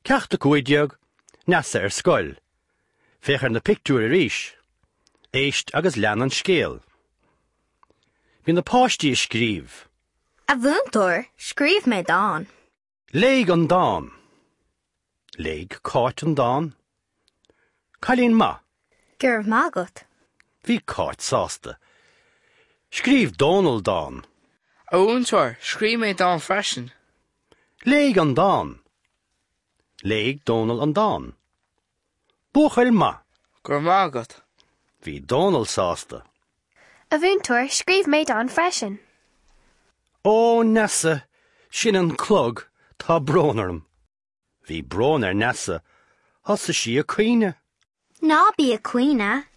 Ceacht 15, Neasa ar scoil. Féach ar na pictiúir arís. Éist agus lean an scéal. Bhí na páistí ag scríobh. A mhúinteoir, scríobh mé dán. Léigh an dán. Léigh Cáit an dán. Cailín maith. Go raibh maith agat. Bhí Cáit sásta. Scríobh Dónal dán. A mhúinteoir, scríobh mé dán freisin. Léigh an dán. Léigh Dónal an dán. Buachaill maith. Go raibh maith agat. Bhí Dónal sásta. A mhúinteoir, scríobh mé dán freisin. Ó, Neasa, sin an clog, tá brón orm. Bhí brón ar Neasa, thosaigh sí ag caoineadh. Ná bí ag caoineadh,